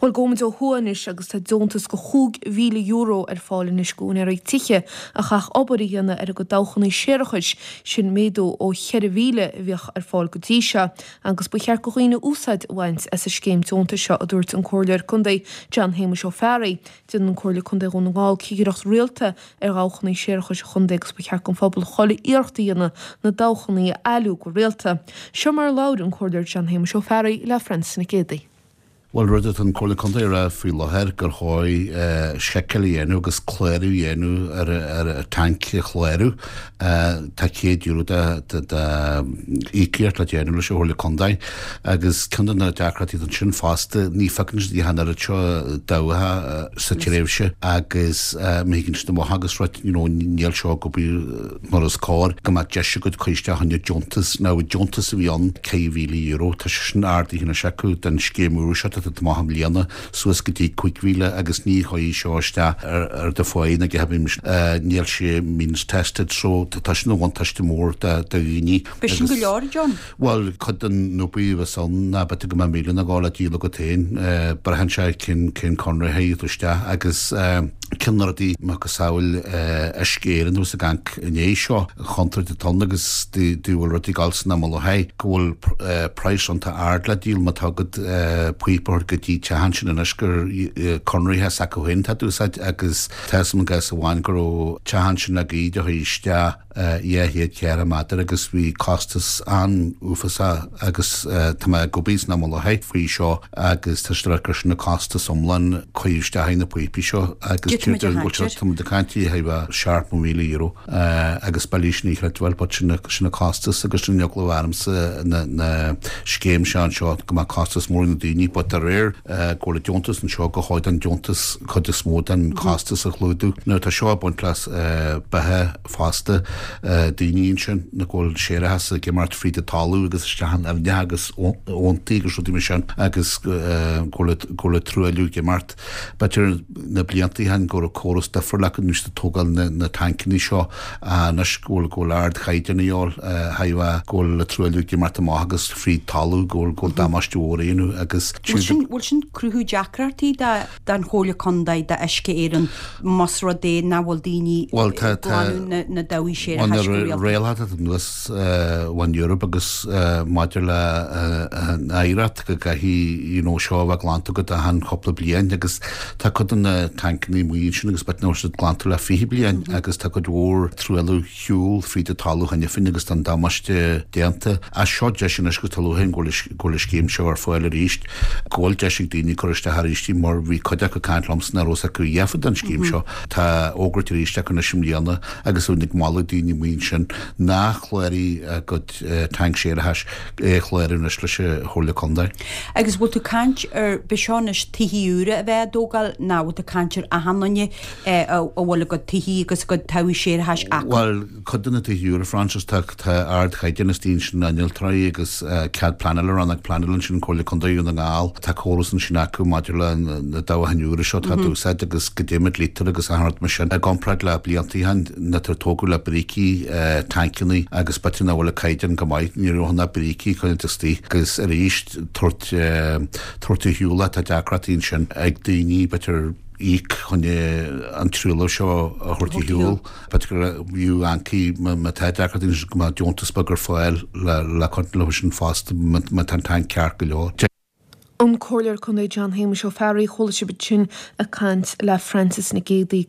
Bhuel, gabhfaimid ó thuaidh anois agus tá deontas de €5,000 ar fáil anois d'úinéirí tithe a chaithfeadh obair a dhéanamh ar a gcuid dabhchannaí séarachais, sin méadú ó 4,000 a bhíodh ar fáil go dtí seo, agus ba cheart do dhaoine úsáid a bhaint as an scéim deontais seo, a dúirt an Comhairleoir Contae John Shéamuis Ó Fearraigh. Déanann Comhairle Contae Dhún na nGall cigireacht rialta ar dhabhchannaí séarachais an chontae agus ba cheart don phobal chuile iarracht a dhéanamh na dabhchannaí a athliú go rialta. Seo mar a labhair an Comhairleoir John Shéamuis Ó Fearraigh le Francis Nic Géadaigh. Bhuel, rud atá an Comhairle Contae a rá faoi láthair gur chóir seiceáil a dhéanamh agus clárú a dhéanamh ar ar tanc a chlárú. Tá €100 de íocaíocht le déanamh leis an Chomhairle Contae agus ceann de na deacrachtaí atá ansin fosta, ní phiocann siad an oiread seo dabhcha sa tréimhse agus má thigeann siad amach agus rud, you know, níl seo ag obair mar is cóir, go mbeadh deis agat cur isteach fá choinne deontas. Now, deontas a bhí ann, €4,000, tá sé sin ardaithe anois acu don scéim úr seo atá ag amach i mbliana, suas go dtí 5,000 agus ní chuirfidh seo isteach ar do pháigh ná a dhath níl sé means tested so tá sin ina bhuntáiste mór do dhaoine. B'é sin go leor, John. Bhuel, cuid den obair a bheas ann ná b'fhéidir go mbeadh 1,000 ag gabháil le díol agat féin. Braitheann sé cén cén conradh a théigh tú isteach agus ceann de na rudaí macasamhail Uisce Éireann a bhíos ag caint inné seo, an chontúirt atá ann agus dá bhfuil rudaí ag dul san am i láthair go bhfuil praghas iontach ard le díol má tá agat píopa a thabhairt go dtí teach ansin anois gur conraithe s'acu féin atá d'úsáid agus tá 'fhios a'm i gcás amháin go raibh teach ansin le gaoth a chuir isteach 204 méadar agus bhí costas an-uafásach agus tá mé ag obair san am i láthair faoi seo agus tá siad ag rá gur sin an costas iomlán cuireadh isteach na píopaí seo agus tá muid ag caint ar thart fá €70,000 agus b'fhéidir sin a chreidbheáil but sin sin an costas agus sin an eagla a bhí ormsa na scéim seo anseo go mbeadh costas mór ar na daoine but de réir go bhfuil an deontas anseo go chóir don deontas cuid is mó den costas a chlúdú. Now tá seo ag baint le beithe fosta, daoine ansin nach bhfuil séarachas ag imeacht fríd an talamh agus isteach in aibhneacha agus abhantaí agus rudaí mar sin agus go bhfuil an truailliú ag imeacht. B'fhéidir na blianta ó shin go raibh córas difriúil acu nuair a tógáil na tancanna seo anois go bhfuil go bhfuil ardchaighdeán a dhíobháil thairbhe go bhfuil an truailliú ag imeacht amach agus fríd talamh go bhfuil go bhfuil damáiste mhór á dhéanamh agus Bhfuil sin cruthú deacrachtaí do don Chomhairle Contae d'Uisce Éireann más rud é nach bhfuil daoine ag glanadh na dabhaigh séarachais go rialta. Rialacha atá anuas ón Eoraip agus maidir le an oidhreacht go gcaithfidh you know seo a bheith glanta agat achan chúpla bliain agus tá cuid de na tancannaí amuigh ansin agus b'fhéidir nach raibh siad glanta le 20 bliain agus tá cuid mhór truailliú shiúl fríd an talamh cheana féin agus tá an damáiste déanta. Ach seo deis anois agus tá lúcháir orainn go bhfuil an scéim seo ar fáil arís, go bhfuil deis ag daoine cur isteach arís mar bhí cuid acu ag caint liomsa nach raibh fhios acu a dhath fá don scéim seo. Tá fógairt arís acu anois i mbliana agus bheinn ag moladh daoine amuigh ansin nár chláraigh a gcuid tanc séarachais é a chlárú anois leis an Chomhairle Contae. Agus bhfuil tú ag caint ar, b'seo anois tithí úra a bheith á dtógáil nó bhfuil tú ag caint ar achan duine a bhfuil a gcuid tithí agus a gcuid dabhaigh séarachais acu. Bhuel, cuid de na tithí úra, Frances, tá ardchaighdeán istigh ansin, innealtóirí agus cead pleanála, rannóg pleanála ansin, Comhairle Contae Dhún na nGall, tá córas ansin acu maidir le na dabhacháin úra seo atá d'úsáid agus goidé mar dlítear agus achan rud mar sin. I gcomparáid le blianta ó shin, nuair a tógadh le brící, tancannaí agus b'fhéidir nach bhfuil an caighdeán go maith, ní raibh na brící coinneáilte istigh agus arís tabhairt tabhairt ar shiúl, tá deacrachtaí ansin ag daoine, b'fhéidir, íoc chun an truailliú seo a thabhairt ar shiúl. B'fhéidir go bhfiú ancaí má tá deacrachtaí anois go mbeadh deontas beag ar fáil le cur leo sin fosta má tá an tanc ceart go leor. An Comhairleoir Contae John Shéamuis Ó Fearraigh, chuala sibh ansin ag caint le Frances Nic Géadaigh.